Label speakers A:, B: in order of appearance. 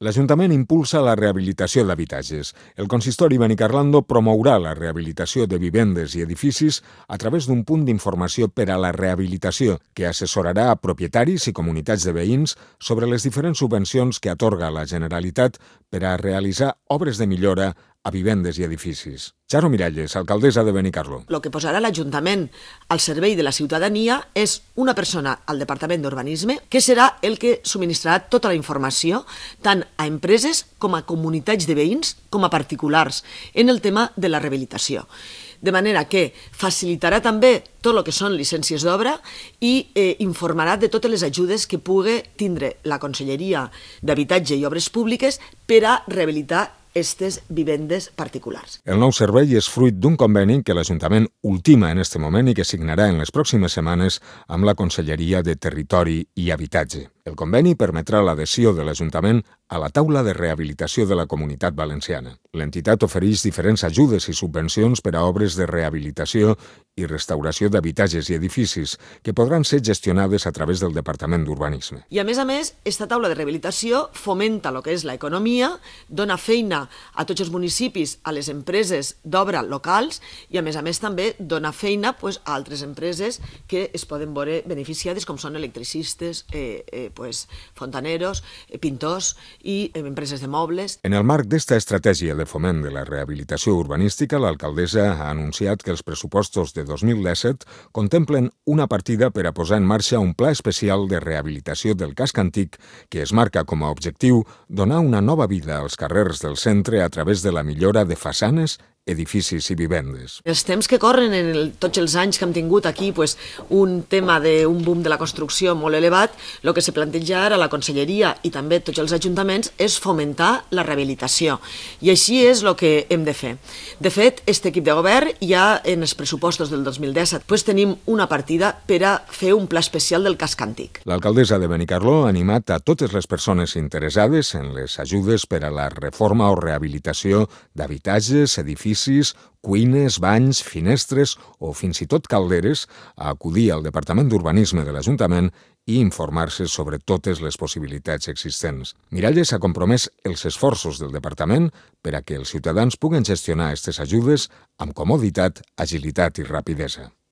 A: L'Ajuntament impulsa la rehabilitació d'habitatges. El consistori Benicarlando promourà la rehabilitació de vivendes i edificis a través d'un punt d'informació per a la rehabilitació que assessorarà a propietaris i comunitats de veïns sobre les diferents subvencions que atorga la Generalitat per a realitzar obres de millora a vivendes i edificis. Charo Miralles, alcaldessa de Benicarló.
B: El que posarà l'Ajuntament al servei de la ciutadania és una persona al Departament d'Urbanisme que serà el que subministrarà tota la informació tant a empreses com a comunitats de veïns com a particulars en el tema de la rehabilitació. De manera que facilitarà també tot el que són llicències d'obra i informarà de totes les ajudes que pugui tindre la Conselleria d'Habitatge i Obres Públiques per a rehabilitar aquestes vivendes particulars.
A: El nou servei és fruit d'un conveni que l'Ajuntament ultima en aquest moment i que signarà en les pròximes setmanes amb la Conselleria de Territori i Habitatge. El conveni permetrà l'adhesió de l'Ajuntament a la taula de rehabilitació de la Comunitat Valenciana. L'entitat ofereix diferents ajudes i subvencions per a obres de rehabilitació i restauració d'habitatges i edificis que podran ser gestionades a través del Departament d'Urbanisme.
B: I a més, aquesta taula de rehabilitació fomenta el que és l'economia, dona feina a tots els municipis, a les empreses d'obra locals i a més també dona feina a altres empreses que es poden veure beneficiades com són electricistes, fontaneros, pintors i empreses de mobles.
A: En el marc d'esta estratègia de foment de la rehabilitació urbanística, l'alcaldessa ha anunciat que els pressupostos de 2017 contemplen una partida per a posar en marxa un pla especial de rehabilitació del casc antic que es marca com a objectiu donar una nova vida als carrers del centre a través de la millora de façanes, edificis i vivendes.
B: Els temps que corren en tots els anys que hem tingut aquí un tema d'un boom de la construcció molt elevat, el que se planteja ara a la Conselleria i també tots els ajuntaments és fomentar la rehabilitació. I així és el que hem de fer. De fet, aquest equip de govern ja en els pressupostos del 2017 tenim una partida per a fer un pla especial del casc antic.
A: L'alcaldessa de Benicarló ha animat a totes les persones interessades en les ajudes per a la reforma o rehabilitació d'habitatges, edificis, cuines, banys, finestres o fins i tot calderes a acudir al Departament d'Urbanisme de l'Ajuntament i informar-se sobre totes les possibilitats existents. Miralles ha compromès els esforços del Departament per a que els ciutadans puguen gestionar aquestes ajudes amb comoditat, agilitat i rapidesa.